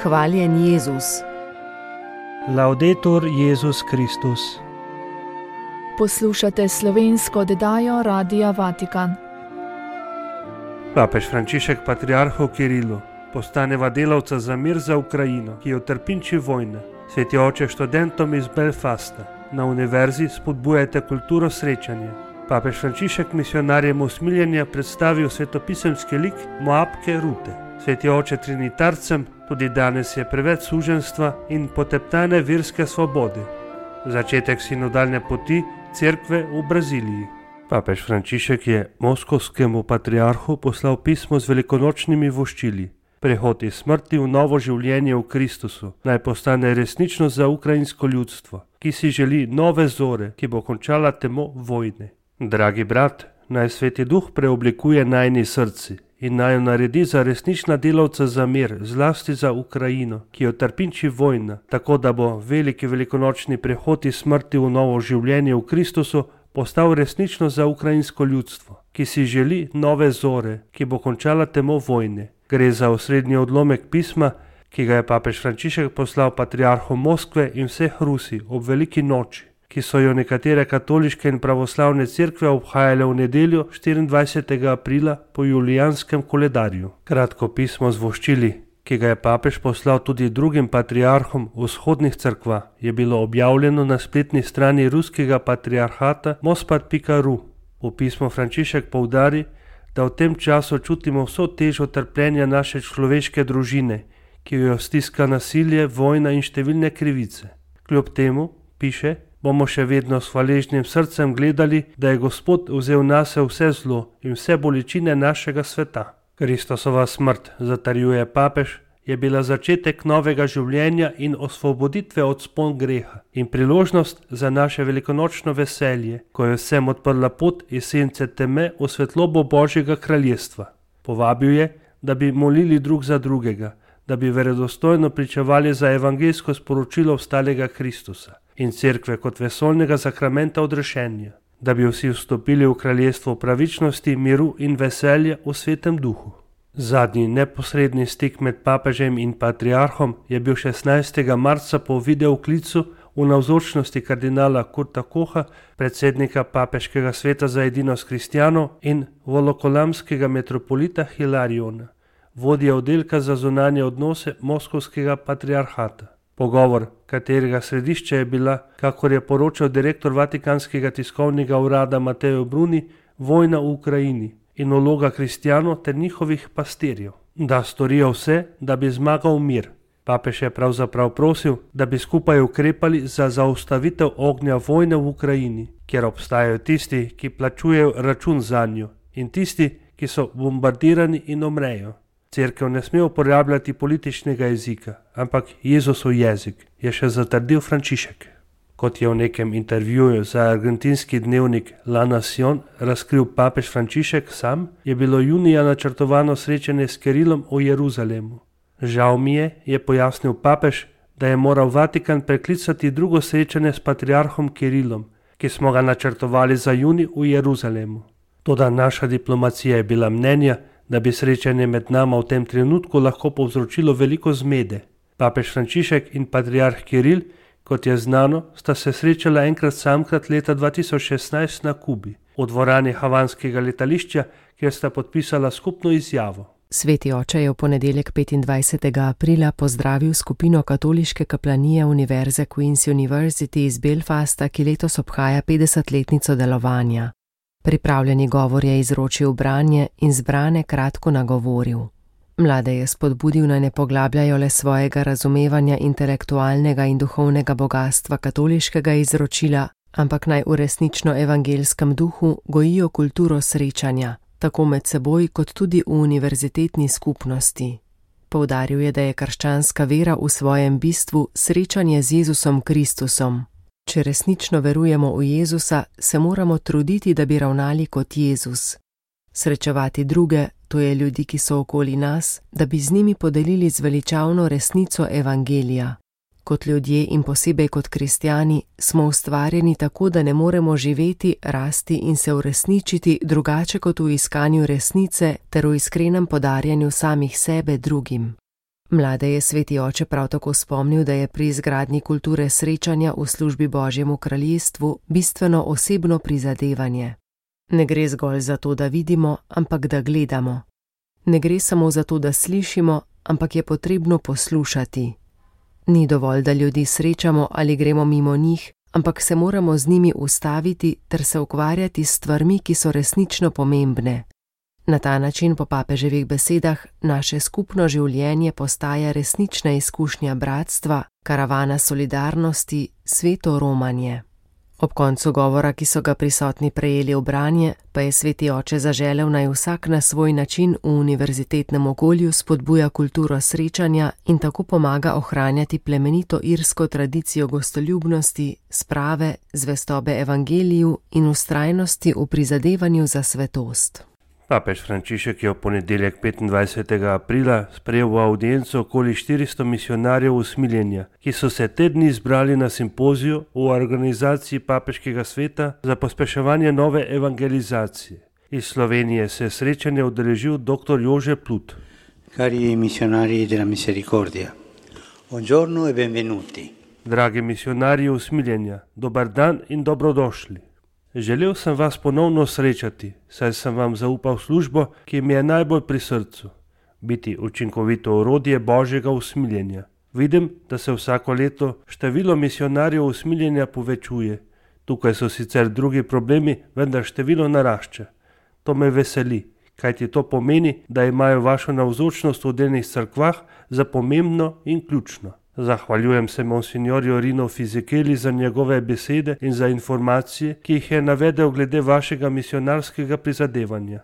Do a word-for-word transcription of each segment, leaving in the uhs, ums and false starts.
Hvaljen Jezus. Laudetur Jezus Kristus. Poslušate slovensko oddajo Radia Vatikan. Papež Frančišek patriarhu Kirilu postaneva delavca za mir za Ukrajino, ki jo trpinči vojna. Sveti oče študentom iz Belfasta na univerzi spodbujajte kulturo srečanja. Papež Frančišek misionarjem usmiljenja predstavil svetopisemski lik Moabke Rute. Sveti oče trinitarcem tudi danes je preveč suženstva in poteptane verske svobode. Začetek sinodalne poti cerkve v Braziliji. Papež Frančišek je moskovskemu patriarhu poslal pismo z velikonočnimi voščili. Prehod iz smrti v novo življenje v Kristusu naj postane resničnost za ukrajinsko ljudstvo, ki si želi nove zore, ki bo končala temo vojne. Dragi brat, naj Sveti Duh preoblikuje najni srci in naj jo naredi za resnična delavca za mir, zlasti za Ukrajino, ki jo trpinči vojna, tako da bo veliki velikonočni prehod iz smrti v novo življenje v Kristusu postal resnično za ukrajinsko ljudstvo, ki si želi nove zore, ki bo končala temo vojne. Gre za osrednji odlomek pisma, ki ga je papež Frančišek poslal patriarhu Moskve in vseh Rusij ob veliki noči, ki so jo nekatere katoliške in pravoslavne cerkve obhajale v nedeljo štiriindvajsetega aprila po julijanskem koledarju. Kratko pismo z voščili, ki ga je papež poslal tudi drugim patriarhom vzhodnih cerkva, je bilo objavljeno na spletni strani ruskega patriarhata mospad pika ru. V pismu Frančišek poudari, da v tem času čutimo vso težo trpljenja naše človeške družine, ki jo stiska nasilje, vojna in številne krivice. Kljub temu, piše, bomo še vedno s hvaležnim srcem gledali, da je Gospod vzel nase vse zlo in vse bolečine našega sveta. Kristusova smrt, zatrjuje papež, je bila začetek novega življenja in osvoboditve od spon greha in priložnost za naše velikonočno veselje, ko je vsem odprla pot iz sence teme v svetlobo Božjega kraljestva. Povabil je, da bi molili drug za drugega, da bi verodostojno pričevali za evangeljsko sporočilo vstalega Kristusa in cerkve kot vesoljnega sakramenta odrešenja, da bi vsi vstopili v kraljestvo pravičnosti, miru in veselja v svetem duhu. Zadnji neposredni stik med papežem in patriarhom je bil šestnajstega marca po videoklicu v navzočnosti kardinala Kurta Koha, predsednika papeškega sveta za edinost kristjanov, in volokolamskega metropolita Hilariona, vodja oddelka za zunanje odnose moskovskega patriarhata. Pogovor, katerega središče je bila, kakor je poročal direktor Vatikanskega tiskovnega urada Mateo Bruni, vojna v Ukrajini in vloga kristjanov ter njihovih pastirjev, da storijo vse, da bi zmagal mir. Papež je pravzaprav prosil, da bi skupaj ukrepali za zaustavitev ognja vojne v Ukrajini, kjer obstajajo tisti, ki plačujejo račun zanjo, in tisti, ki so bombardirani in umrejo. Cerkev ne sme uporabljati političnega jezika, ampak Jezusov jezik, je še zatrdil Frančišek. Kot je v nekem intervjuju za argentinski dnevnik La Nación razkril papež Frančišek sam, je bilo junija načrtovano srečanje s Kirilom v Jeruzalemu. Žal mi je, je pojasnil papež, da je moral Vatikan preklicati drugo srečanje s patriarhom Kirilom, ki smo ga načrtovali za junij v Jeruzalemu. Toda naša diplomacija je bila mnenja, da bi srečanje med nama v tem trenutku lahko povzročilo veliko zmede. Papež Frančišek in patriarh Kiril, kot je znano, sta se srečala enkrat samkrat leta dva tisoč šestnajst na Kubi, v dvorani havanskega letališča, kjer sta podpisala skupno izjavo. Sveti oče je v ponedeljek petindvajsetega aprila pozdravil skupino katoliške kaplanije Univerze Queen's University iz Belfasta, ki letos obhaja petdesetletnico delovanja. Pripravljeni govor je izročil branje in zbrane kratko nagovoril. Mlade je spodbudil, naj ne poglabljajo le svojega razumevanja intelektualnega in duhovnega bogastva katoliškega izročila, ampak naj v resnično evangeljskem duhu gojijo kulturo srečanja, tako med seboj kot tudi v univerzitetni skupnosti. Poudaril je, da je krščanska vera v svojem bistvu srečanje z Jezusom Kristusom. Če resnično verujemo v Jezusa, se moramo truditi, da bi ravnali kot Jezus. Srečevati druge, to je ljudi, ki so okoli nas, da bi z njimi podelili zveličavno resnico evangelija. Kot ljudje in posebej kot kristjani smo ustvarjeni tako, da ne moremo živeti, rasti in se uresničiti drugače kot v iskanju resnice ter v iskrenem podarjanju samih sebe drugim. Mlade je sveti oče prav tako spomnil, da je pri izgradnji kulture srečanja v službi Božjemu kraljestvu bistveno osebno prizadevanje. Ne gre zgolj za to, da vidimo, ampak da gledamo. Ne gre samo za to, da slišimo, ampak je potrebno poslušati. Ni dovolj, da ljudi srečamo ali gremo mimo njih, ampak se moramo z njimi ustaviti ter se ukvarjati s stvarmi, ki so resnično pomembne. Na ta način, po papeževih besedah, naše skupno življenje postaja resnična izkušnja bratstva, karavana solidarnosti, sveto romanje. Ob koncu govora, ki so ga prisotni prejeli v branje, pa je sveti oče zaželel, naj vsak na svoj način v univerzitetnem okolju spodbuja kulturo srečanja in tako pomaga ohranjati plemenito irsko tradicijo gostoljubnosti, sprave, zvestobe evangeliju in vztrajnosti v prizadevanju za svetost. Papež Frančišek je v ponedeljek petindvajsetega aprila sprejel v avdienco okoli štiristo misijonarjev usmiljenja, ki so se te dni zbrali na simpoziju v organizaciji Papeškega sveta za pospeševanje nove evangelizacije. Iz Slovenije se je srečanje udeležil dr. Jože Plut. Cari missionari della Misericordia, buongiorno e benvenuti. Dragi misijonarji usmiljenja, dober dan in dobrodošli. Želel sem vas ponovno srečati, saj sem vam zaupal službo, ki mi je najbolj pri srcu, biti učinkovito orodje Božjega usmiljenja. Vidim, da se vsako leto število misijonarjev usmiljenja povečuje. Tukaj so sicer drugi problemi, vendar število narašča. To me veseli, kajti to pomeni, da imajo vašo navzočnost v delnih cerkvah za pomembno in ključno. Zahvaljujem se monsignorju Rino Fizikeli za njegove besede in za informacije, ki jih je navedel glede vašega misionarskega prizadevanja.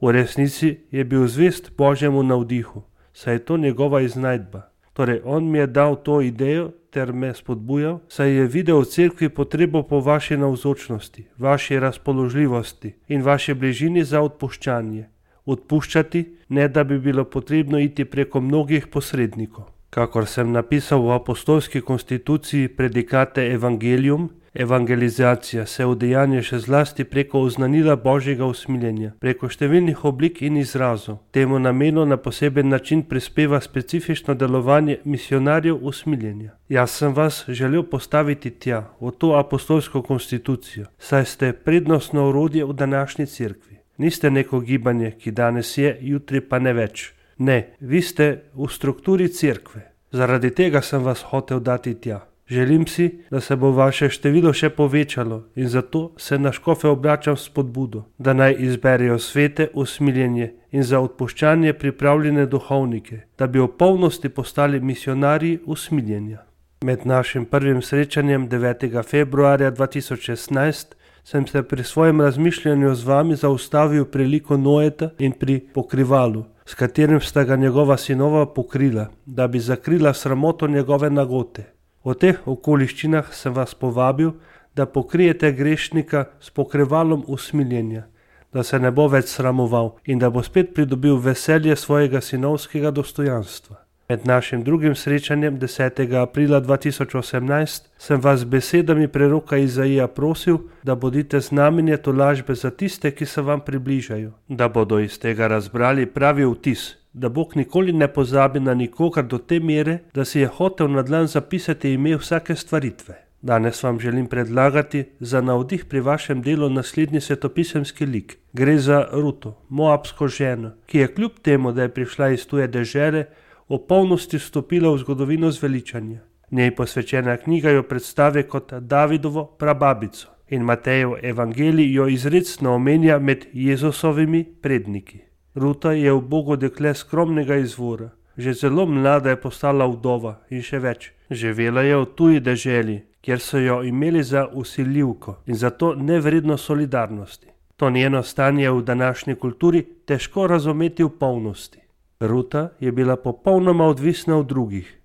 V resnici je bil zvest Božjemu navdihu, saj je to njegova iznajdba. Torej, on mi je dal to idejo ter me spodbujal, saj je videl v cerkvi potrebo po vaši navzočnosti, vaši razpoložljivosti in vaši bližini za odpuščanje. Odpuščati, ne da bi bilo potrebno iti preko mnogih posrednikov. Kakor sem napisal v apostolski konstituciji Predikate Evangelium, evangelizacija se udejanja še zlasti preko oznanila Božjega usmiljenja, preko številnih oblik in izrazov. Temu namenu na poseben način prispeva specifično delovanje misionarjev usmiljenja. Jaz sem vas želel postaviti tja, v to apostolsko konstitucijo, saj ste prednostno orodje v današnji cerkvi. Niste neko gibanje, ki danes je, jutri pa ne več. Ne, vi ste v strukturi cerkve. Zaradi tega sem vas hotel dati tja. Želim si, da se bo vaše število še povečalo in zato se na škofe obračam s spodbudo, da naj izberejo svete usmiljenje in za odpuščanje pripravljene duhovnike, da bi v polnosti postali misionarji usmiljenja. Med našim prvim srečanjem devetega februarja dva tisoč šestnajst sem se pri svojem razmišljanju z vami zaustavil pri liku Noeta in pri pokrivalu, s katerim sta ga njegova sinova pokrila, da bi zakrila sramoto njegove nagote. V teh okoliščinah sem vas povabil, da pokrijete grešnika s pokrivalom usmiljenja, da se ne bo več sramoval in da bo spet pridobil veselje svojega sinovskega dostojanstva. Med našim drugim srečanjem desetega aprila dva tisoč osemnajst sem vas z besedami preroka Izaija prosil, da bodite znamenje tolažbe za tiste, ki se vam približajo, da bodo iz tega razbrali pravi vtis, da Bog nikoli ne pozabi na nikogar do te mere, da si je hotel na dlan zapisati ime vsake stvaritve. Danes vam želim predlagati za navdih pri vašem delu naslednji svetopisemski lik. Gre za Ruto, moabsko ženo, ki je kljub temu, da je prišla iz tuje dežele, v polnosti vstopila v zgodovino zveličanja. Njej posvečena knjiga jo predstavi kot Davidovo prababico in Matejev evangelij jo izrecno omenja med Jezusovimi predniki. Ruta je ubogo dekle skromnega izvora. Že zelo mlada je postala vdova in še več. Živela je v tuji deželi, kjer so jo imeli za vsiljivko in zato nevredno solidarnosti. To njeno stanje v današnji kulturi težko razumeti v polnosti. Ruta je bila popolnoma odvisna od drugih.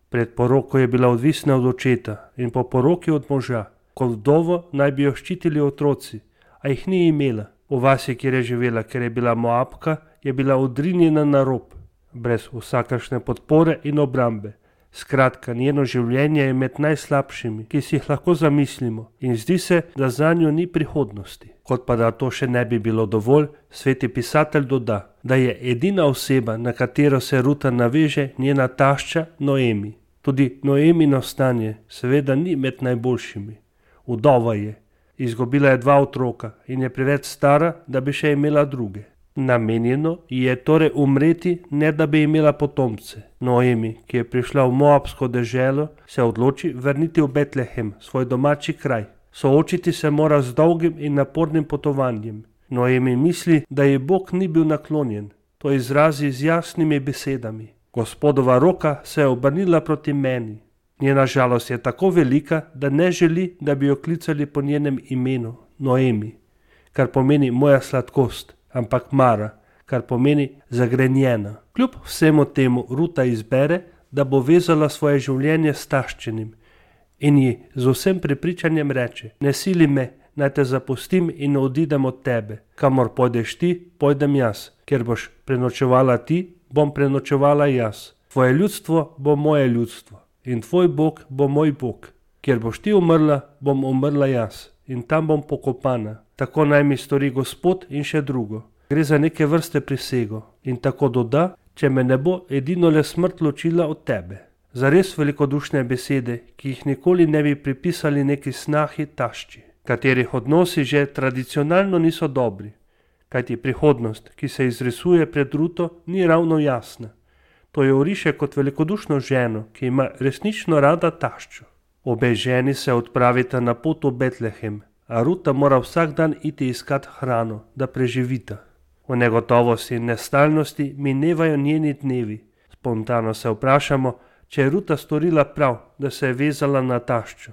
Pred poroko je bila odvisna od očeta in po poroki od moža. Kot vdovo naj bi jo ščitili otroci, a jih ni imela. V vasi, kjer je živela, ker je bila Moabka, je bila odrinjena na rob, brez vsakršne podpore in obrambe. Skratka, njeno življenje je med najslabšimi, ki si jih lahko zamislimo, in zdi se, da za njo ni prihodnosti. Kot pa da to še ne bi bilo dovolj, sveti pisatelj doda, da je edina oseba, na katero se Ruta naveže, njena tašča Noemi. Tudi Noemino stanje seveda ni med najboljšimi. Vdova je, izgubila je dva otroka in je preveč stara, da bi še imela druge. Namenjeno ji je torej umreti, ne da bi imela potomce. Noemi, ki je prišla v moabsko deželo, se odloči vrniti v Betlehem, svoj domači kraj. Soočiti se mora z dolgim in napornim potovanjem. Noemi misli, da ji Bog ni bil naklonjen. To izrazi z jasnimi besedami. Gospodova roka se je obrnila proti meni. Njena žalost je tako velika, da ne želi, da bi jo klicali po njenem imenu, Noemi, kar pomeni moja sladkost, ampak Mara, kar pomeni zagrenjena. Kljub vsemu temu Ruta izbere, da bo vezala svoje življenje s taščenim in ji z vsem prepričanjem reče: ne sili me, naj te zapustim in odidem od tebe. Kamor pojdeš ti, pojdem jaz. Ker boš prenočevala ti, bom prenočevala jaz. Tvoje ljudstvo bo moje ljudstvo in tvoj Bog bo moj Bog. Kjer boš ti umrla, bom umrla jaz in tam bom pokopana. Tako naj mi stori Gospod in še drugo. Gre za neke vrste prisego. In tako doda: če me ne bo edino le smrt ločila od tebe. Zares velikodušne besede, ki jih nikoli ne bi pripisali neki snahi tašči, katerih odnosi že tradicionalno niso dobri. Kajti prihodnost, ki se izrisuje pred Ruto, ni ravno jasna. To jo oriše kot velikodušno ženo, ki ima resnično rada taščo. Obe ženi se odpravita na pot v Betlehem, a Ruta mora vsak dan iti iskat hrano, da preživita. V negotovosti in nestalnosti minevajo njeni dnevi. Spontano se vprašamo, če je Ruta storila prav, da se je vezala na taščo.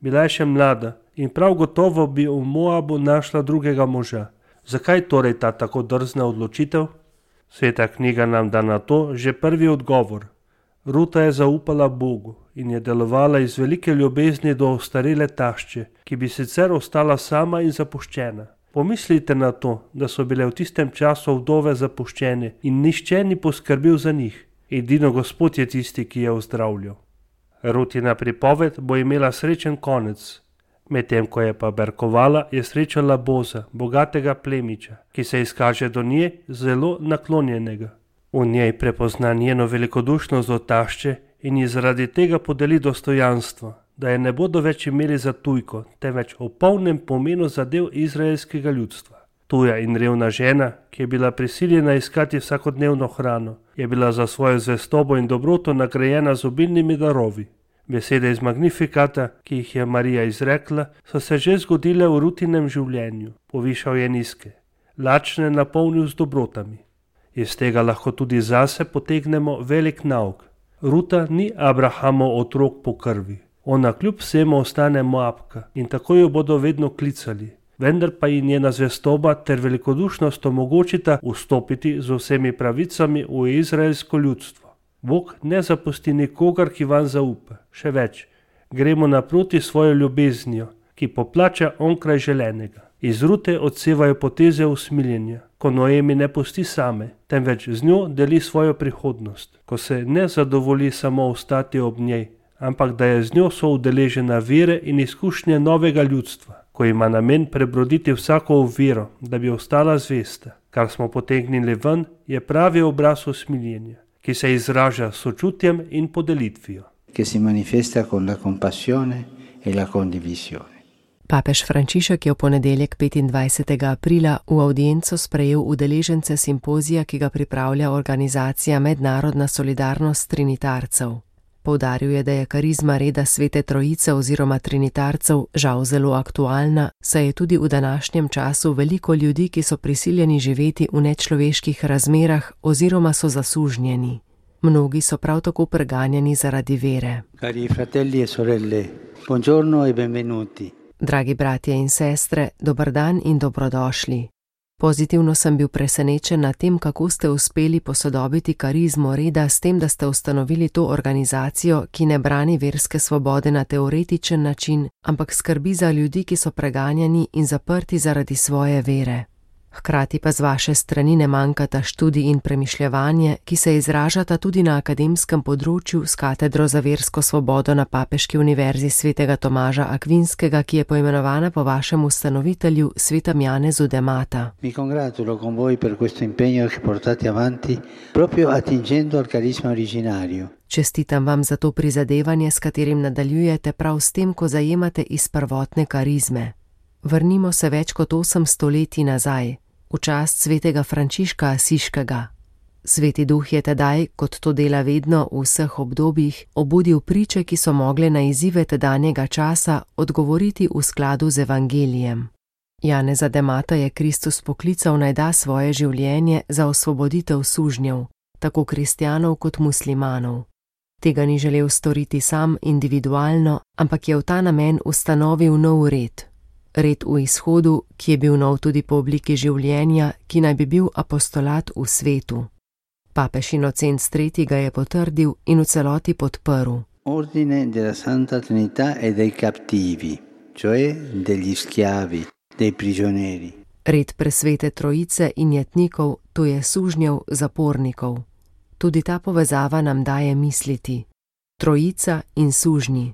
Bila je še mlada in prav gotovo bi v Moabu našla drugega moža. Zakaj torej ta tako drzna odločitev? Sveta knjiga nam da na to že prvi odgovor. Ruta je zaupala Bogu in je delovala iz velike ljubezni do ostarele tašče, ki bi sicer ostala sama in zapuščena. Pomislite na to, da so bile v tistem času vdove zapuščene in nihče ni poskrbel za njih. Edino Gospod je tisti, ki je ozdravljal. Rutina pripoved bo imela srečen konec. Medtem ko je pa berkovala, je srečala Boza, bogatega plemiča, ki se izkaže do nje zelo naklonjenega. V njej prepozna njeno velikodušnost do tašče in ji zaradi tega podeli dostojanstvo, da je ne bodo več imeli za tujko, temveč v polnem pomenu zadev izraelskega ljudstva. Tuja in revna žena, ki je bila prisiljena iskati vsakodnevno hrano, je bila za svojo zvestobo in dobroto nagrajena z obilnimi darovi. Besede iz Magnifikata, ki jih je Marija izrekla, so se že zgodile v Rutinem življenju. Povišal je nizke, lačne napolnil z dobrotami. Iz tega lahko tudi zase potegnemo velik nauk. Ruta ni Abrahamov otrok po krvi. Ona kljub vsemu ostane Moabka in tako jo bodo vedno klicali. Vendar pa ji njena zvestoba ter velikodušnost omogočita vstopiti z vsemi pravicami v izraelsko ljudstvo. Bog ne zapusti nikogar, ki vam zaupa. Še več, gremo naproti svojo ljubeznijo, ki poplača onkraj želenega. Iz Rute odsevajo poteze usmiljenja, ko Noemi ne pusti same, temveč z njo deli svojo prihodnost, ko se ne zadovolji samo ostati ob njej, ampak da je z njo soudeležena vere in izkušnje novega ljudstva, ko ima namen prebroditi vsako oviro, da bi ostala zvesta. Kar smo potegnili ven, je pravi obraz usmiljenja, ki se izraža s sočutjem in podelitvijo. Che si manifesta con la compassione e la condivisione. Papež Frančišek je v ponedeljek petindvajsetega aprila v avdienco sprejel udeležence simpozija, ki ga pripravlja organizacija Mednarodna solidarnost trinitarcev. Poudaril je, da je karizma reda Svete Trojice oziroma trinitarcev žal zelo aktualna, saj je tudi v današnjem času veliko ljudi, ki so prisiljeni živeti v nečloveških razmerah oziroma so zasužnjeni. Mnogi so prav tako preganjani zaradi vere. Cari fratelli e sorelle, buongiorno e benvenuti. Dragi bratje in sestre, dober dan in dobrodošli. Pozitivno sem bil presenečen nad tem, kako ste uspeli posodobiti karizmo reda s tem, da ste ustanovili to organizacijo, ki ne brani verske svobode na teoretičen način, ampak skrbi za ljudi, ki so preganjani in zaprti zaradi svoje vere. Hkrati pa z vaše strani ne manjkata študij in premišljevanje, ki se izražata tudi na akademskem področju s katedro za versko svobodo na Papeški univerzi svetega Tomaža Akvinskega, ki je poimenovana po vašem ustanovitelju svetem Janezu de Mata. Mi congratulo con voi per questo impegno che portate avanti proprio attingendo al carisma originario. Čestitam vam za to prizadevanje, s katerim nadaljujete prav s tem, ko zajemate iz prvotne karizme. Vrnimo se več kot osem stoletij nazaj, v čast svetega Frančiška Asiškega. Sveti duh je tedaj, kot to dela vedno v vseh obdobjih, obudil priče, ki so mogle na izzive tedanjega časa odgovoriti v skladu z evangelijem. Janeza de Mata je Kristus poklical naj da svoje življenje za osvoboditev sužnjev, tako kristjanov kot muslimanov. Tega ni želel storiti sam individualno, ampak je v ta namen ustanovil nov red. Red v izhodu, ki je bil nov tudi po obliki življenja, ki naj bi bil apostolat v svetu. Papež Inocens tretji ga je potrdil in v celoti podprl. Ordine della Santa Trinità e dei captivi, cioè degli schiavi, dei prigionieri. Red presvete trojice in jetnikov, to je sužnjev, zapornikov. Tudi ta povezava nam daje misliti. Trojica in sužnji.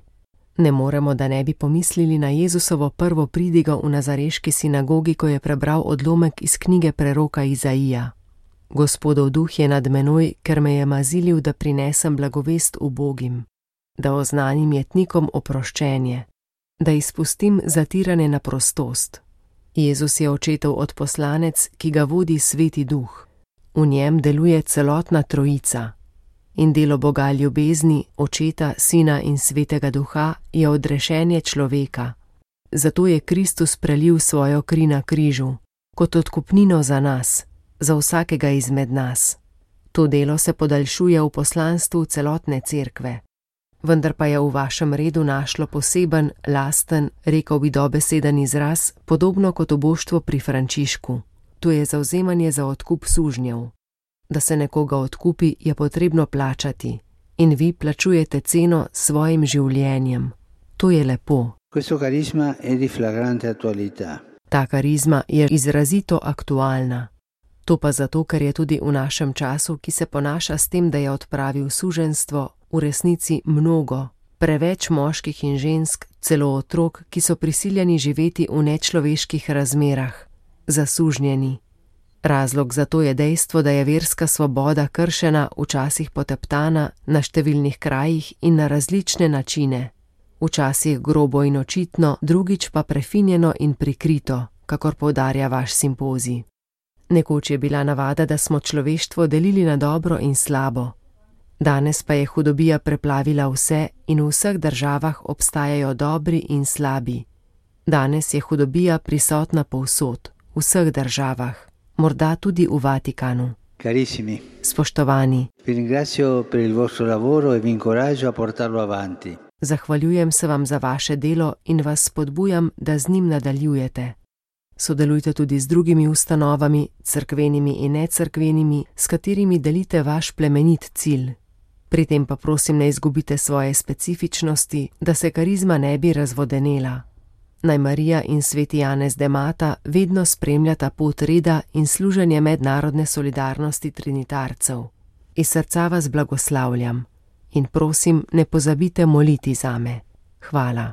Ne moremo, da ne bi pomislili na Jezusovo prvo pridigo v nazareški sinagogi, ko je prebral odlomek iz knjige preroka Izaija. Gospodov duh je nad menoj, ker me je mazilil, da prinesem blagovest ubogim, da oznanim jetnikom oproščenje, da izpustim zatirane na prostost. Jezus je očetov odposlanec, ki ga vodi sveti duh. V njem deluje celotna trojica. In delo Boga ljubezni, Očeta, Sina in Svetega Duha je odrešenje človeka. Zato je Kristus prelil svojo kri na križu, kot odkupnino za nas, za vsakega izmed nas. To delo se podaljšuje v poslanstvu celotne cerkve. Vendar pa je v vašem redu našlo poseben, lasten, rekel bi dobeseden izraz, podobno kot oboštvo pri Frančišku. To je zavzemanje za odkup sužnjev. Da se nekoga odkupi, je potrebno plačati. In vi plačujete ceno s svojim življenjem. To je lepo. Questo carisma è di flagrante attualità. Ta karizma je izrazito aktualna. To pa zato, ker je tudi v našem času, ki se ponaša s tem, da je odpravil suženjstvo, v resnici mnogo, preveč moških in žensk, celo otrok, ki so prisiljeni živeti v nečloveških razmerah, zasužnjeni. Razlog za to je dejstvo, da je verska svoboda kršena, včasih poteptana, na številnih krajih in na različne načine. Včasih grobo in očitno, drugič pa prefinjeno in prikrito, kakor poudarja vaš simpozij. Nekoč je bila navada, da smo človeštvo delili na dobro in slabo. Danes pa je hudobija preplavila vse in v vseh državah obstajajo dobri in slabi. Danes je hudobija prisotna povsod, v vseh državah. Morda tudi v Vatikanu. Carissimi, spoštovani, vi ringrazio per il vostro lavoro e vi incoraggio a portarlo avanti. Zahvaljujem se vam za vaše delo in vas spodbujam, da z njim nadaljujete. Sodelujte tudi z drugimi ustanovami, cerkvenimi in necerkvenimi, s katerimi delite vaš plemenit cilj. Pri tem pa prosim, ne izgubite svoje specifičnosti, da se karizma ne bi razvodenela. Naj Marija in sveti Janez de Mata vedno spremljata pot reda in služenje mednarodne solidarnosti trinitarcev. Iz srca vas blagoslavljam in prosim, ne pozabite moliti zame. Hvala.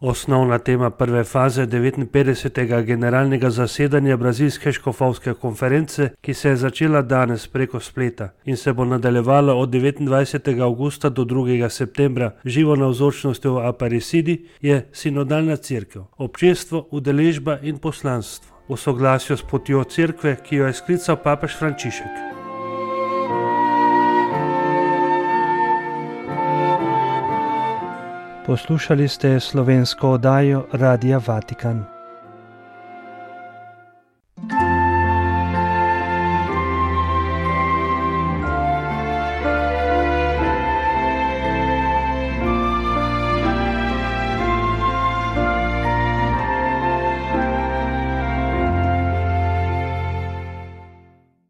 Osnovna tema prve faze devetinpetdesetega generalnega zasedanja Brazilske škofovske konference, ki se je začela danes preko spleta in se bo nadaljevala od devetindvajsetega avgusta do drugega septembra živo navzočnosti v Aparecidi, je sinodalna cerkev, občestvo, udeležba in poslanstvo v soglasju s potjo cerkve, ki jo je sklical papež Frančišek. Poslušali ste slovensko oddajo Radia Vatikan.